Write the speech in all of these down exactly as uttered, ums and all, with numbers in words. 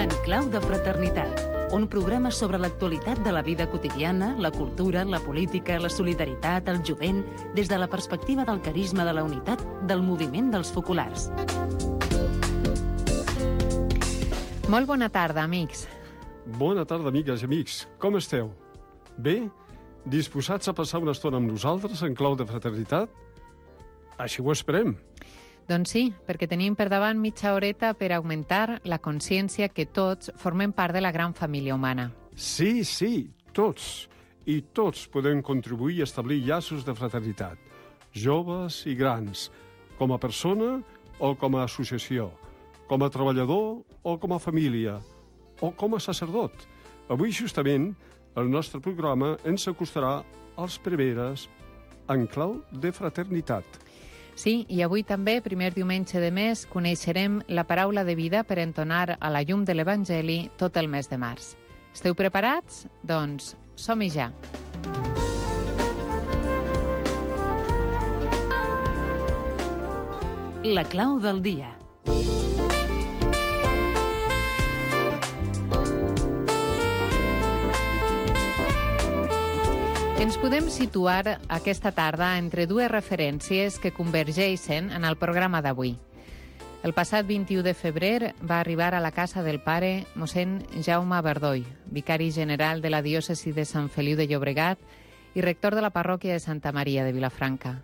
En clau de fraternitat, un programa sobre l'actualitat de la vida quotidiana, la cultura, la política, la solidaritat, el jovent, des de la perspectiva del carisma de la unitat del moviment dels focolars. Molt bona tarda, amics. Bona tarda, amigues i amics. Com esteu? Bé? Disposats a passar una estona amb nosaltres en clau de fraternitat? Així ho esperem. Doncs sí, perquè tenim per davant mitja horeta per augmentar la consciència que tots formem part de la gran família humana. Sí, sí, tots. I tots podem contribuir a establir llaços de fraternitat. Joves i grans, com a persona o com a associació, com a treballador o com a família, o com a sacerdot. Avui, justament, el nostre programa ens acostarà als preveres en clau de fraternitat. Sí, i avui també, primer diumenge de mes, coneixerem la paraula de vida per entonar a la llum de l'Evangeli tot el mes de març. Esteu preparats? Doncs som-hi ja. La clau del dia. Ens podem situar aquesta tarda entre dues referències que convergeixen en el programa d'avui. El passat vint-i-u de febrer va arribar a la casa del pare mossèn Jaume Verdoi, vicari general de la diòcesi de Sant Feliu de Llobregat i rector de la parròquia de Santa Maria de Vilafranca.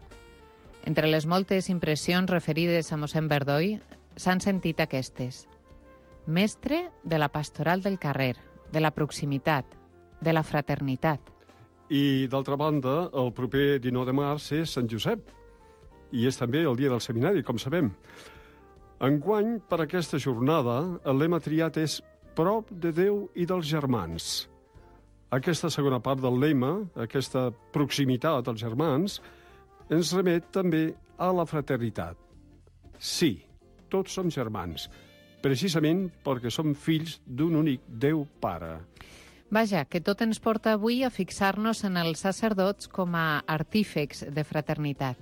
Entre les moltes impressions referides a mossèn Verdoi s'han sentit aquestes. Mestre de la pastoral del carrer, de la proximitat, de la fraternitat. I, d'altra banda, el proper dinou de març és Sant Josep, i és també el dia del seminari, com sabem. Enguany, per aquesta jornada, el lema triat és prop de Déu i dels germans. Aquesta segona part del lema, aquesta proximitat als germans, ens remet també a la fraternitat. Sí, tots som germans, precisament perquè som fills d'un únic Déu Pare. Vaja, que tot ens porta avui a fixar-nos en els sacerdots com a artífex de fraternitat.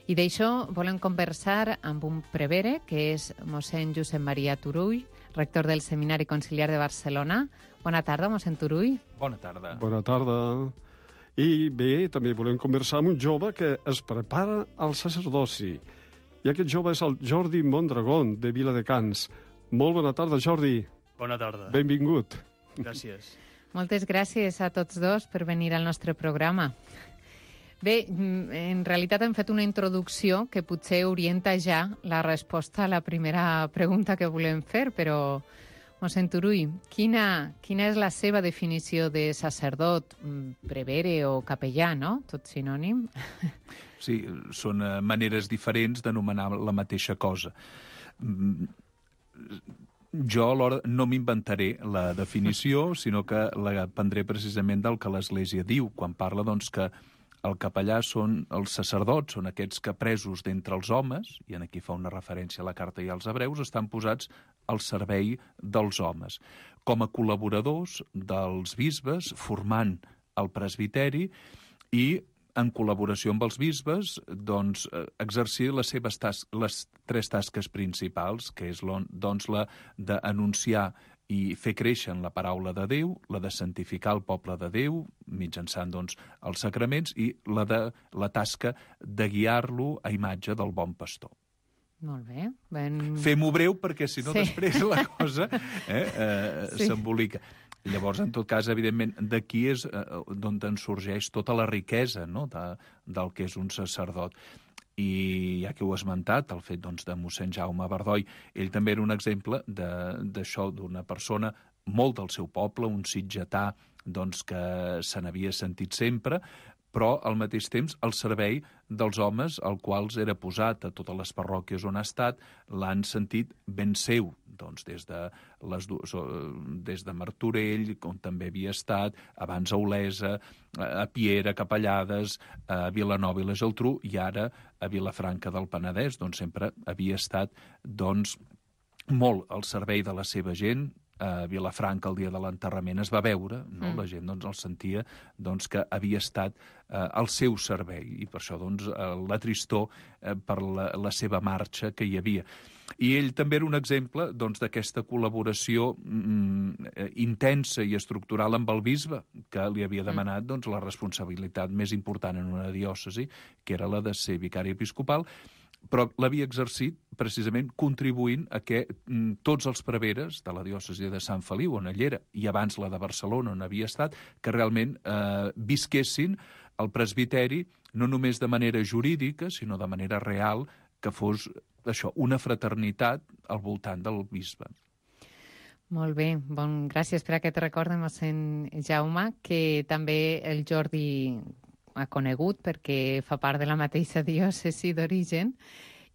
I d'això volem conversar amb un prevere, que és mossèn Josep Maria Turull, rector del Seminari Conciliar de Barcelona. Bona tarda, mossèn Turull. Bona tarda. Bona tarda. I bé, també volem conversar amb un jove que es prepara al sacerdoci. I aquest jove és el Jordi Mondragón, de Viladecans. Molt bona tarda, Jordi. Bona tarda. Benvingut. Gràcies. Moltes gràcies a tots dos per venir al nostre programa. Bé, en realitat hem fet una introducció que potser orienta ja la resposta a la primera pregunta que volem fer, però, mossèn Turull, quina, quina és la seva definició de sacerdot, prevere o capellà, no? Tot sinònim. Sí, són maneres diferents d'anomenar la mateixa cosa. Jo alhora no m'inventaré la definició, sinó que la prendré precisament del que l'Església diu, quan parla doncs, que el capellà són els sacerdots, són aquests que presos d'entre els homes, i en aquí fa una referència a la carta i als hebreus, estan posats al servei dels homes, com a col·laboradors dels bisbes, formant el presbiteri i en col·laboració amb els bisbes, doncs, exercir les seves tas les tres tasques principals, que és doncs, la d'anunciar i fer créixer en la paraula de Déu, la de santificar el poble de Déu, mitjançant doncs, els sacraments, i la de la tasca de guiar-lo a imatge del bon pastor. Molt bé. Ben... Fem-ho breu, perquè si no sí. després la cosa eh, eh, sí. s'embolica. Llavors, en tot cas, evidentment, d'aquí és eh, d'on en sorgeix tota la riquesa, no?, de, del que és un sacerdot. I ja que ho he esmentat, el fet doncs, de mossèn Jaume Verdoi, ell també era un exemple d'això, d'una persona molt del seu poble, un sitgetà doncs, que se n'havia sentit sempre, però al mateix temps al servei dels homes als quals era posat a totes les parròquies on ha estat, l'han sentit ben seu, doncs des de, les, des de Martorell, on també havia estat, abans a Olesa, a Piera, a Capellades, a Vilanova i la Geltrú, i ara a Vilafranca del Penedès, doncs sempre havia estat doncs, molt al servei de la seva gent, a Vilafranca el dia de l'enterrament es va veure, no? Mm. La gent doncs, el sentia doncs, que havia estat eh, al seu servei, i per això doncs, eh, la tristor eh, per la, la seva marxa que hi havia. I ell també era un exemple doncs, d'aquesta col·laboració mm, intensa i estructural amb el bisbe, que li havia demanat doncs, la responsabilitat més important en una diòcesi, que era la de ser vicari episcopal, però l'havia exercit precisament contribuint a que mm, tots els preveres de la diòcesi de Sant Feliu, on ell era, i abans la de Barcelona, on havia estat, que realment eh, visquessin el presbiteri no només de manera jurídica, sinó de manera real, que fos això, una fraternitat al voltant del bisbe. Molt bé, bon, gràcies per aquest record de mossèn Jaume, que també el Jordi ha conegut perquè fa part de la mateixa diòcesi d'origen,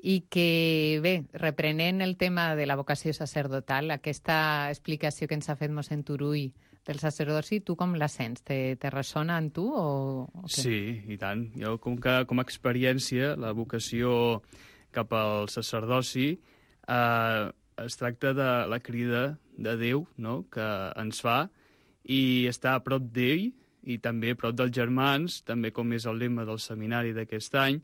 i que, bé, reprenent el tema de la vocació sacerdotal, aquesta explicació que ens ha fet mossèn Turull del sacerdoci, tu com la sents? Te, te ressona en tu o, o què? Sí, i tant. Jo, com, que, com a experiència, la vocació cap al sacerdoci eh, es tracta de la crida de Déu, no?, que ens fa, i estar a prop d'ell, i també a prop dels germans, també com és el lema del seminari d'aquest any,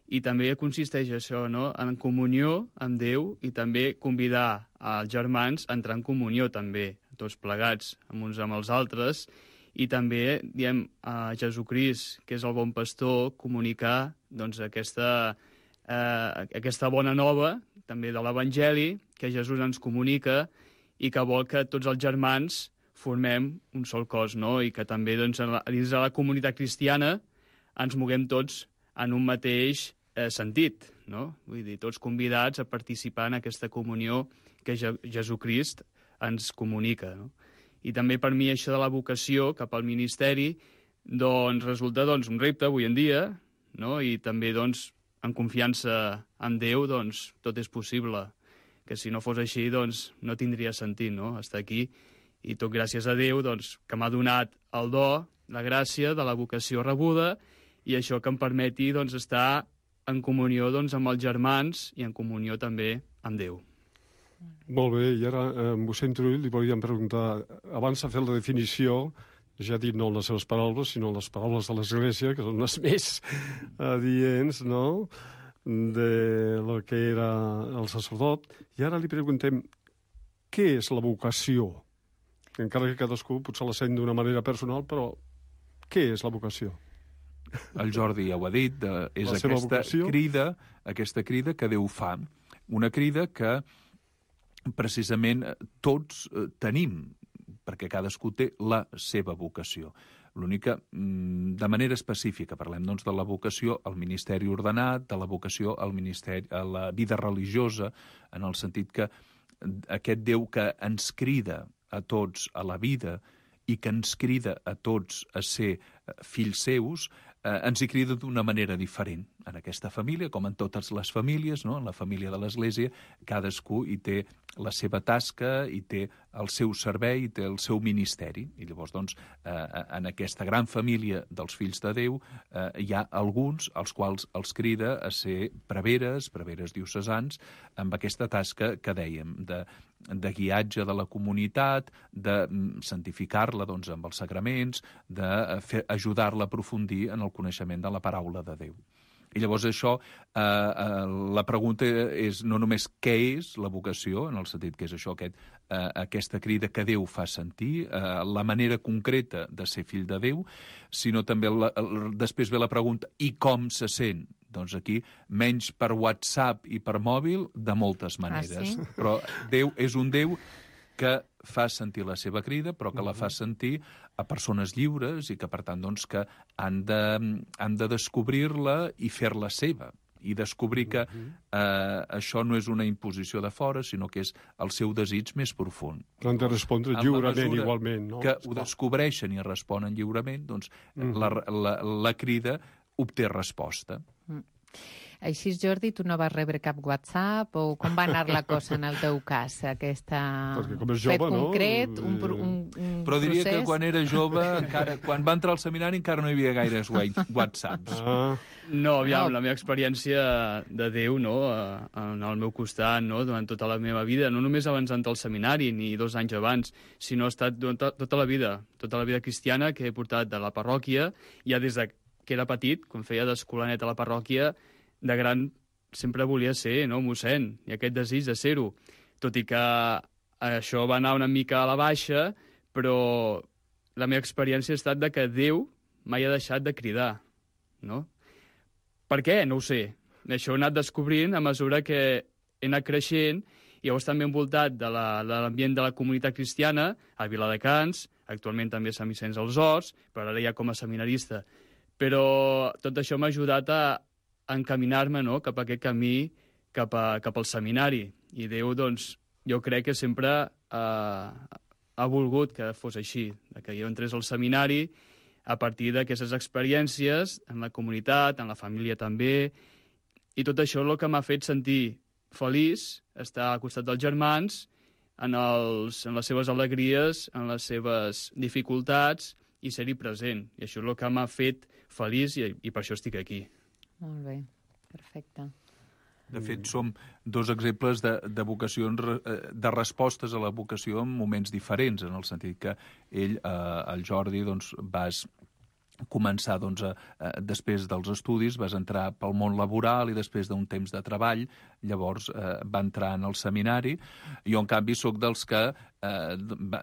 i també consisteix això, no?, en comunió amb Déu, i també convidar als germans a entrar en comunió també, tots plegats, amb uns amb els altres, i també, diem, a Jesucrist, que és el bon pastor, comunicar doncs, aquesta, eh, aquesta bona nova, també de l'Evangeli, que Jesús ens comunica i que vol que tots els germans formem un sol cos, no? I que també doncs, la, dins de la comunitat cristiana ens moguem tots en un mateix eh, sentit, no? Vull dir, tots convidats a participar en aquesta comunió que Je Jesucrist ens comunica, no? I també per mi això de la vocació cap al ministeri doncs, resulta doncs, un repte avui en dia, no? I també doncs, en confiança en Déu doncs, tot és possible, que si no fos així doncs, no tindria sentit, no?, estar aquí. I tot gràcies a Déu, doncs, que m'ha donat el do, la gràcia de la vocació rebuda, i això que em permeti doncs, estar en comunió doncs, amb els germans i en comunió també amb Déu. Molt bé, i ara, eh, mossèn Turull, li volíem preguntar, abans de fer la definició, ja ha dit no les seves paraules, sinó les paraules de l'Església, que són les més adients, no?, de lo que era el sacerdot. I ara li preguntem, què és la vocació? Encara que cadascú potser la sent d'una manera personal, però què és la vocació? El Jordi ja ho ha dit, eh, és La seva aquesta vocació? crida, aquesta crida que Déu fa. Una crida que precisament tots eh, tenim, perquè cadascú té la seva vocació. L'únic que, mm, de manera específica, parlem doncs, de la vocació al ministeri ordenat, de la vocació al ministeri, a la vida religiosa, en el sentit que aquest Déu que ens crida a tots a la vida i que ens crida a tots a ser fills seus, eh, ens hi crida d'una manera diferent. En aquesta família, com en totes les famílies, no?, en la família de l'Església, cadascú hi té la seva tasca, hi té el seu servei, hi té el seu ministeri. I llavors, doncs, eh, en aquesta gran família dels fills de Déu eh, hi ha alguns als quals els crida a ser preveres, preveres diocesans, amb aquesta tasca que dèiem, de, de guiatge de la comunitat, de santificar-la doncs, amb els sagraments, d'ajudar-la a aprofundir en el coneixement de la paraula de Déu. I llavors això, eh, eh, la pregunta és no només què és la vocació, en el sentit que és això, aquest, eh, aquesta crida que Déu fa sentir, eh, la manera concreta de ser fill de Déu, sinó també la, el, després ve la pregunta i com se sent? Doncs aquí, menys per WhatsApp i per mòbil, de moltes maneres. Ah, sí? Però Déu és un Déu que fa sentir la seva crida, però que la fa sentir a persones lliures i que, per tant, doncs, que han de, han de descobrir-la i fer-la seva. I descobrir que eh, això no és una imposició de fora, sinó que és el seu desig més profund. Han de respondre lliurement, igualment, no? Que ho descobreixen i responen lliurement, doncs mm. la, la, la crida obté resposta. Així, Jordi, tu no vas rebre cap WhatsApp o com va anar la cosa en el teu cas? Aquesta... Perquè com és jove, fet concret, no? un, un, un Però diria procés... que quan era jove, encara, quan va entrar al seminari encara no hi havia gaires whatsapps. Ah, No, aviam, No. la meva experiència de Déu, no?, a- en el meu costat, no?, durant tota la meva vida, no només abans d'entrar al seminari, ni dos anys abans, sinó ha estat durant to- tota la vida, tota la vida cristiana que he portat de la parròquia, ja des de que era petit, quan feia d'escolanet a la parròquia, de gran sempre volia ser, no?, mossèn, i aquest desig de ser-ho. Tot i que això va anar una mica a la baixa, però la meva experiència ha estat de que Déu mai ha deixat de cridar, no? Per què? No ho sé. Això ho he anat descobrint a mesura que he anat creixent i llavors també envoltat de la- de l'ambient de la comunitat cristiana, a Viladecans, actualment també a Sant Vicenç dels Horts, però ara ja com a seminarista. Però tot això m'ha ajudat a encaminar-me, no?, cap a aquest camí, cap, a, cap al seminari. I Déu, doncs, jo crec que sempre ha, ha volgut que fos així, de que jo entrés al seminari a partir d'aquestes experiències en la comunitat, en la família també, i tot això és el que m'ha fet sentir feliç, estar al costat dels germans, en, els, en les seves alegries, en les seves dificultats, i ser-hi present. I això és el que m'ha fet feliç i, i per això estic aquí. Molt bé, perfecte. De fet, som dos exemples de, de vocacions, eh, de respostes a la vocació en moments diferents, en el sentit que ell, eh, el Jordi, doncs, vas començar, doncs, a, a, després dels estudis, vas entrar pel món laboral i després d'un temps de treball, llavors eh, va entrar en el seminari. Jo, en canvi, sóc dels que eh, va,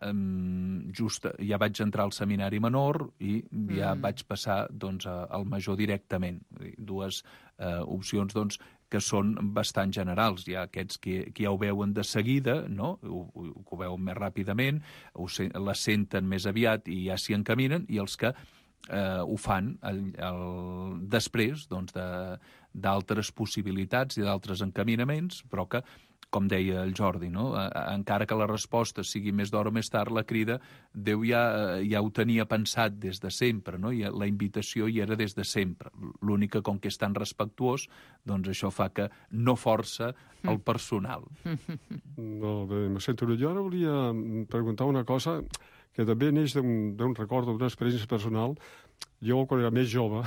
just ja vaig entrar al seminari menor i ja mm. vaig passar, doncs, a, al major directament. Dues eh, opcions, doncs, que són bastant generals. Hi ha aquests que, que ja ho veuen de seguida, no?, ho, ho, ho veuen més ràpidament, ho, la senten més aviat i ja s'hi encaminen, i els que eh, ho fan el, el, després, doncs, de, d'altres possibilitats i d'altres encaminaments, però que, com deia el Jordi, no?, encara que la resposta sigui més d'hora o més tard, la crida, Déu ja, ja ho tenia pensat des de sempre, no?, i la invitació hi era des de sempre. L'únic que, com que és tan respectuós, doncs això fa que no força el personal. molt bé, me sento bé. Jo ara volia preguntar una cosa que també neix d'un, d'un record, d'una experiència personal. Jo, quan era més jove,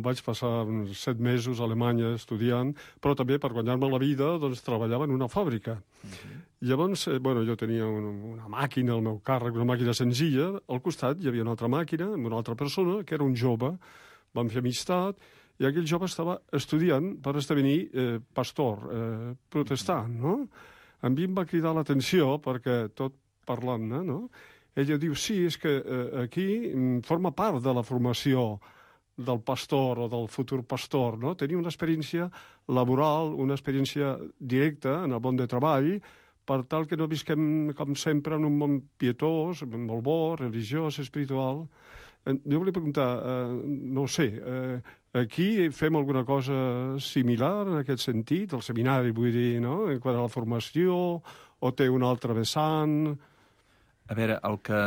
vaig passar uns set mesos a Alemanya estudiant, però també per guanyar-me la vida doncs, treballava en una fàbrica. Uh-huh. Llavors, eh, bueno, jo tenia una, una màquina al meu càrrec, una màquina senzilla. Al costat hi havia una altra màquina amb una altra persona, que era un jove. Vam fer amistat, i aquell jove estava estudiant per esdevenir eh, pastor, eh, protestant, no? A mi em va cridar l'atenció, perquè tot parlant-ne, no?, ella diu, sí, és que eh, aquí forma part de la formació del pastor o del futur pastor, no?, tenir una experiència laboral, una experiència directa en el món de treball, per tal que no visquem, com sempre, en un món pietós, molt bo, religiós, espiritual. Jo volia preguntar, eh, no ho sé, eh, aquí fem alguna cosa similar en aquest sentit, el seminari, vull dir, no?, en quant a la formació, o té un altre vessant? A veure, el que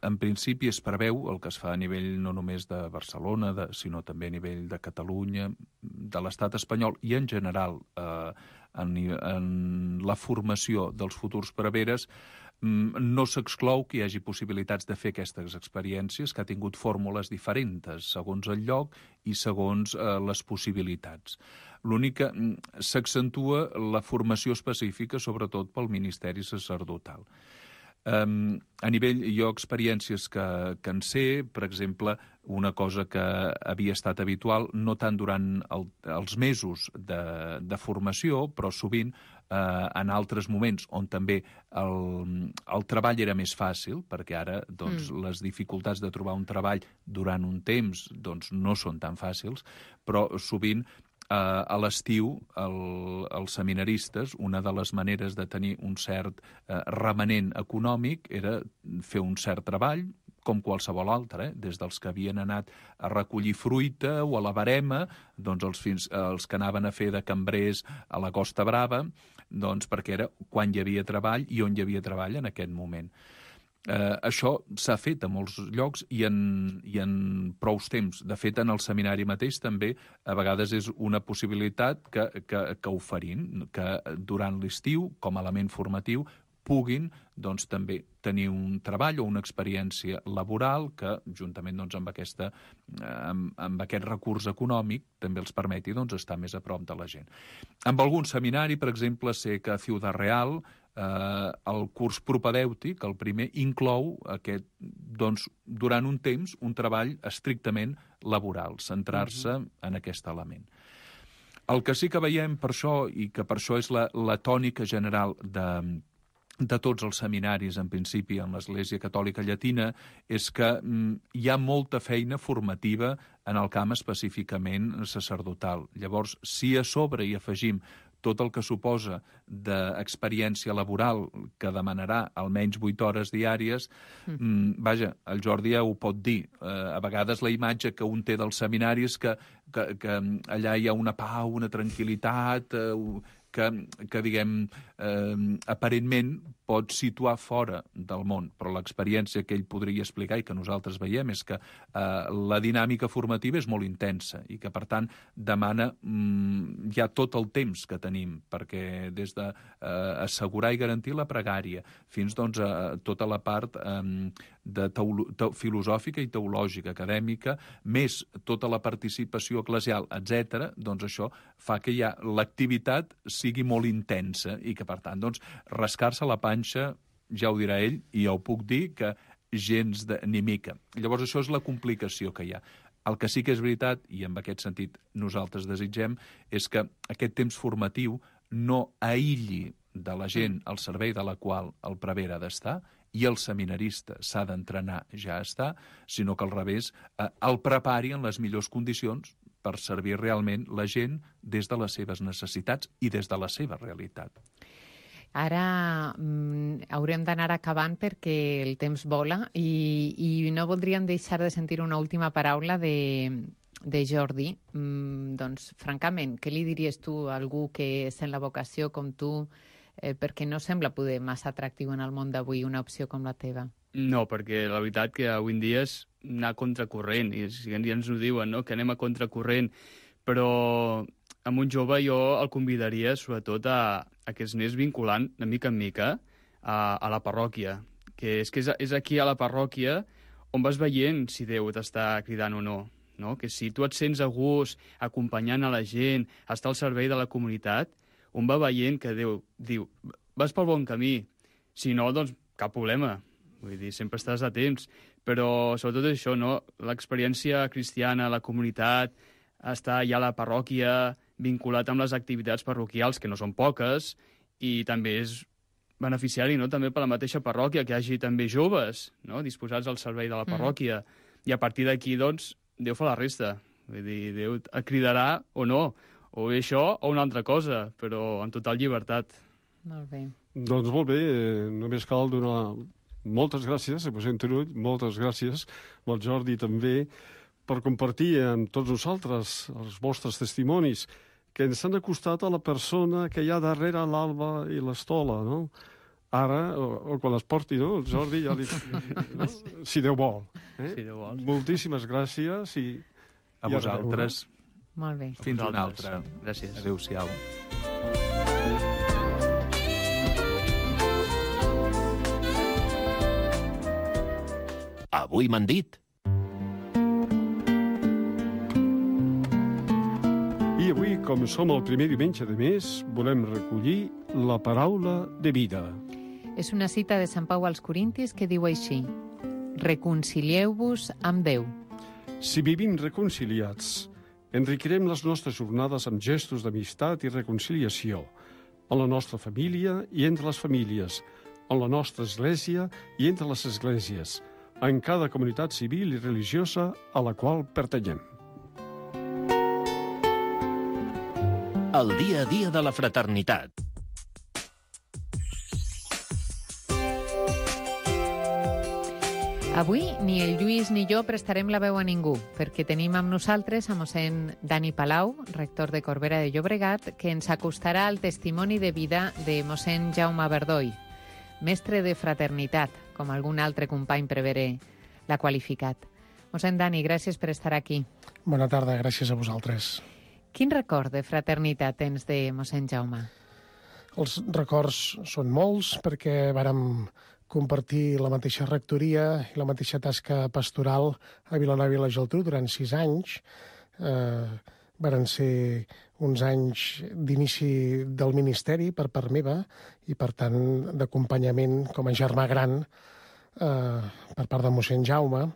en principi es preveu, el que es fa a nivell no només de Barcelona, de, sinó també a nivell de Catalunya, de l'estat espanyol i en general eh, en, en la formació dels futurs preveres, no s'exclou que hi hagi possibilitats de fer aquestes experiències, que ha tingut fórmules diferents segons el lloc i segons eh, les possibilitats. L'únic que s'accentua la formació específica, sobretot pel ministeri sacerdotal. Um, a nivell, jo, experiències que, que en sé, per exemple, una cosa que havia estat habitual, no tant durant el, els mesos de, de formació, però sovint eh, en altres moments on també el, el treball era més fàcil, perquè ara doncs, mm. les dificultats de trobar un treball durant un temps doncs, no són tan fàcils, però sovint Uh, a l'estiu, el, els seminaristes, una de les maneres de tenir un cert uh, remanent econòmic era fer un cert treball, com qualsevol altre, eh? Des dels que havien anat a recollir fruita o a la barema, doncs els, fins, els que anaven a fer de cambrers a la Costa Brava, doncs perquè era quan hi havia treball i on hi havia treball en aquest moment. Eh, això s'ha fet a molts llocs i en, i en prous temps. De fet, en el seminari mateix també a vegades és una possibilitat que, que, que oferim, que durant l'estiu, com a element formatiu, puguin doncs, també tenir un treball o una experiència laboral que, juntament doncs, amb, aquesta, amb, amb aquest recurs econòmic, també els permeti doncs, estar més a prop de la gent. Amb algun seminari, per exemple, sé que a Ciudad Real eh, el curs propedèutic, el primer, inclou aquest, doncs, durant un temps un treball estrictament laboral, centrar-se uh-huh. en aquest element. El que sí que veiem per això, i que per això és la, la tònica general de, de tots els seminaris, en principi, en l'Església Catòlica Llatina, és que mm, hi ha molta feina formativa en el camp específicament sacerdotal. Llavors, si a sobre hi afegim tot el que suposa d'experiència laboral que demanarà almenys vuit hores diàries, mm. vaja, el Jordi ja ho pot dir. Eh, a vegades la imatge que un té dels seminaris que, que, que allà hi ha una pau, una tranquil·litat, eh, que, que diguem, eh, aparentment pot situar fora del món, però l'experiència que ell podria explicar i que nosaltres veiem és que eh, la dinàmica formativa és molt intensa i que, per tant, demana mm, ja tot el temps que tenim, perquè des de eh, assegurar i garantir la pregària fins doncs, a tota la part eh, de teolo te filosòfica i teològica, acadèmica, més tota la participació eclesial, etcètera, doncs això fa que ja l'activitat sigui molt intensa i que, per tant, doncs, rascar-se la panxa, ja ho dirà ell, i ja ho puc dir, que gens de, ni mica. Llavors, això és la complicació que hi ha. El que sí que és veritat, i en aquest sentit nosaltres desitgem, és que aquest temps formatiu no aïlli de la gent al servei de la qual el prevere ha d'estar, i el seminarista s'ha d'entrenar, ja està, sinó que al revés, eh, el prepari en les millors condicions per servir realment la gent des de les seves necessitats i des de la seva realitat. Ara mm, haurem d'anar acabant perquè el temps vola i, i no voldríem deixar de sentir una última paraula de, de Jordi. Mm, doncs, francament, què li diries tu a algú que és en la vocació com tu, eh, perquè no sembla poder massa atractiu en el món d'avui una opció com la teva? No, perquè la veritat que avui en dia és anar a contracorrent, i ja ens ho diuen, no? Que anem a contracorrent, però amb un jove jo el convidaria sobretot a, a que es anés vinculant de mica en mica a, a la parròquia, que és que és, és aquí a la parròquia on vas veient si Déu t'està cridant o no, no? Que si tu et sents a gust acompanyant a la gent, estar al servei de la comunitat, on va veient que Déu diu, vas pel bon camí, si no, doncs cap problema. Vull dir, sempre estàs a temps, però sobretot això, no? L'experiència cristiana, la comunitat, estar ja a la parròquia, vinculat amb les activitats parroquials, que no són poques, i també és beneficiari, no? També per la mateixa parròquia, que hi hagi també joves, no? Disposats al servei de la parròquia. Mm. I a partir d'aquí, doncs, Déu fa la resta. Vull dir, Déu et cridarà o no, o bé això o una altra cosa, però en total llibertat. Molt bé. Doncs molt bé, eh, només cal donar moltes gràcies a Mossèn Turull, moltes gràcies al Jordi també, per compartir amb tots nosaltres els vostres testimonis que ens han acostat a la persona que hi ha darrere l'alba i l'estola, no? Ara, o, o quan es porti, no? El Jordi ja li... No? Si Déu vol. Eh? Si Déu vol. Moltíssimes gràcies i... A i vosaltres. Molt bé. Fins una altra. Gràcies. Adéu-siau. Avui m'han dit. I avui, com som el primer diumenge de mes, volem recollir la paraula de vida. És una cita de Sant Pau als Corintis que diu així: reconcilieu-vos amb Déu. Si vivim reconciliats, enriquirem les nostres jornades amb gestos d'amistat i reconciliació, en la nostra família i entre les famílies, en la nostra església i entre les esglésies, en cada comunitat civil i religiosa a la qual pertanyem. El dia a dia de la fraternitat. Avui ni el Lluís ni jo prestarem la veu a ningú, perquè tenim amb nosaltres a mossèn Dani Palau, rector de Corbera de Llobregat, que ens acostarà al testimoni de vida de mossèn Jaume Verdoi, mestre de fraternitat, com algun altre company prevere l'ha qualificat. Mossèn Dani, gràcies per estar aquí. Bona tarda, gràcies a vosaltres. Quin record de fraternitat tens de mossèn Jaume? Els records són molts perquè vàrem compartir la mateixa rectoria i la mateixa tasca pastoral a Vilanova i la Geltrú durant sis anys. Eh, varen ser uns anys d'inici del ministeri per part meva i, per tant, d'acompanyament com a germà gran eh, per part de mossèn Jaume.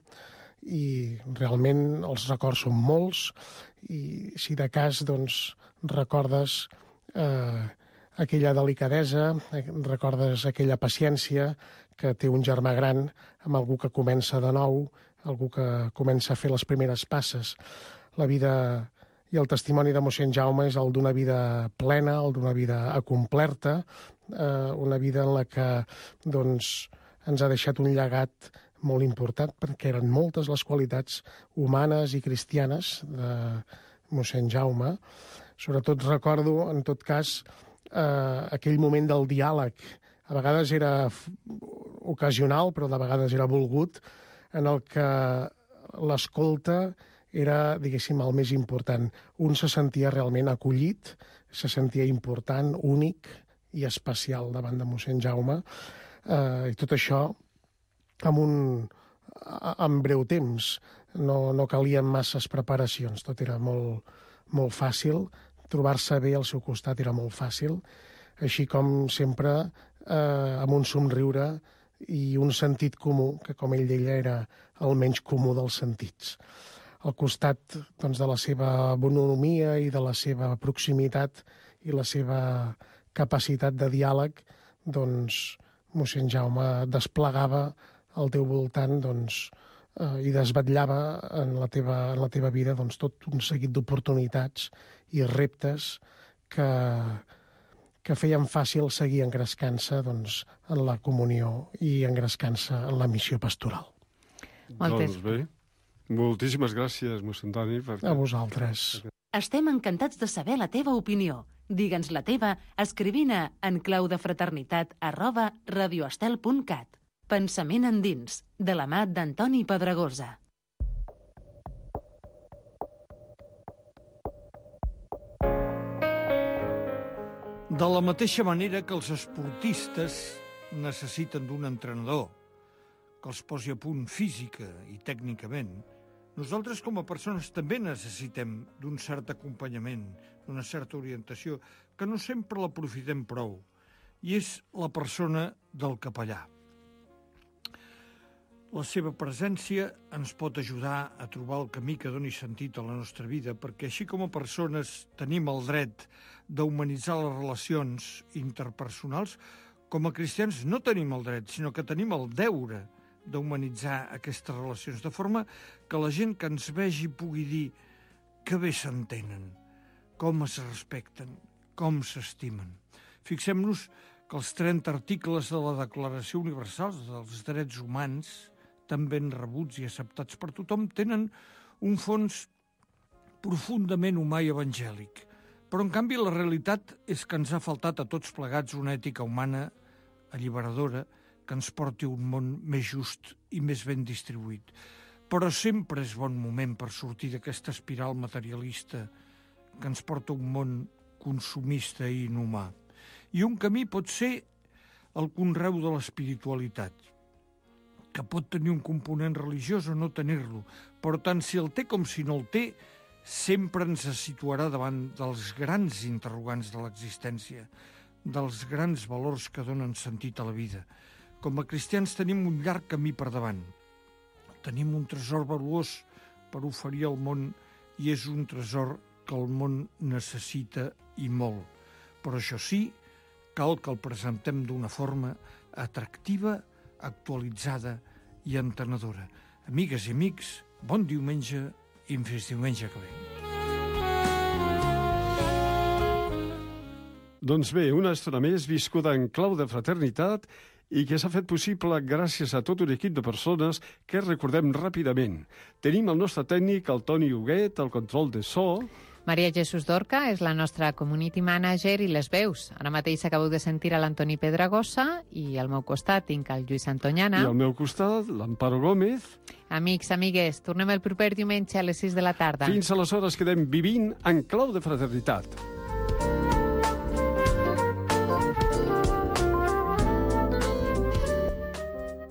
I realment els records són molts i, si de cas, doncs, recordes eh, aquella delicadesa, recordes aquella paciència que té un germà gran amb algú que comença de nou, algú que comença a fer les primeres passes. La vida i el testimoni de mossèn Jaume és el d'una vida plena, el d'una vida acomplerta, eh, una vida en la que doncs, ens ha deixat un llegat molt important, perquè eren moltes les qualitats humanes i cristianes de mossèn Jaume. Sobretot recordo, en tot cas, eh, aquell moment del diàleg. A vegades era ocasional, però de vegades era volgut, en el que l'escolta era, diguéssim, el més important. Un se sentia realment acollit, se sentia important, únic i especial davant de mossèn Jaume. Eh, I tot això amb un en breu temps. No, no calien masses preparacions, tot era molt, molt fàcil. Trobar-se bé al seu costat era molt fàcil, així com sempre eh, amb un somriure i un sentit comú, que com ell deia era el menys comú dels sentits. Al costat doncs, de la seva bonomia i de la seva proximitat i la seva capacitat de diàleg, doncs mossèn Jaume desplegava al teu voltant doncs, eh, i desvetllava en la teva, en la teva vida doncs, tot un seguit d'oportunitats i reptes que, que feien fàcil seguir engrescant-se doncs, en la comunió i engrescant-se en la missió pastoral. Moltes. Doncs bé, moltíssimes gràcies, mossèn Dani. Per... A vosaltres. Estem encantats de saber la teva opinió. Digue'ns la teva escrivint a enclaudefraternitat arroba radioestel punt cat. Pensament endins, de la mà d'Antoni Pedregosa. De la mateixa manera que els esportistes necessiten d'un entrenador que els posi a punt física i tècnicament, nosaltres com a persones també necessitem d'un cert acompanyament, d'una certa orientació, que no sempre l'aprofitem prou, i és la persona del capellà. La seva presència ens pot ajudar a trobar el camí que doni sentit a la nostra vida, perquè així com a persones tenim el dret d'humanitzar les relacions interpersonals, com a cristians no tenim el dret, sinó que tenim el deure d'humanitzar aquestes relacions, de forma que la gent que ens vegi pugui dir que bé s'entenen, com es respecten, com s'estimen. Fixem-nos que els trenta articles de la Declaració Universal dels Drets Humans, tan ben rebuts i acceptats per tothom, tenen un fons profundament humà i evangèlic. Però, en canvi, la realitat és que ens ha faltat a tots plegats una ètica humana alliberadora que ens porti a un món més just i més ben distribuït. Però sempre és bon moment per sortir d'aquesta espiral materialista que ens porta a un món consumista i inhumà. I un camí pot ser el conreu de l'espiritualitat, que pot tenir un component religiós o no tenir-lo, però tant si el té com si no el té, sempre ens situarà davant dels grans interrogants de l'existència, dels grans valors que donen sentit a la vida. Com a cristians tenim un llarg camí per davant. Tenim un tresor valuós per oferir al món i és un tresor que el món necessita i molt. Però això sí, cal que el presentem d'una forma atractiva, actualitzada i entenedora. Amigues i amics, bon diumenge i fins diumenge que ve. Doncs bé, una estona més viscuda en clau de fraternitat i que s'ha fet possible gràcies a tot un equip de persones que recordem ràpidament. Tenim el nostre tècnic, el Toni Huguet, el control de so, Maria Jesús Dorca és la nostra community manager i les veus. Ara mateix acabeu de sentir a l'Antoni Pedragosa i al meu costat tinc el Lluís Antonyana. I al meu costat, l'Amparo Gómez. Amics, amigues, tornem el proper diumenge a les sis de la tarda. Fins aleshores quedem vivint en clau de fraternitat.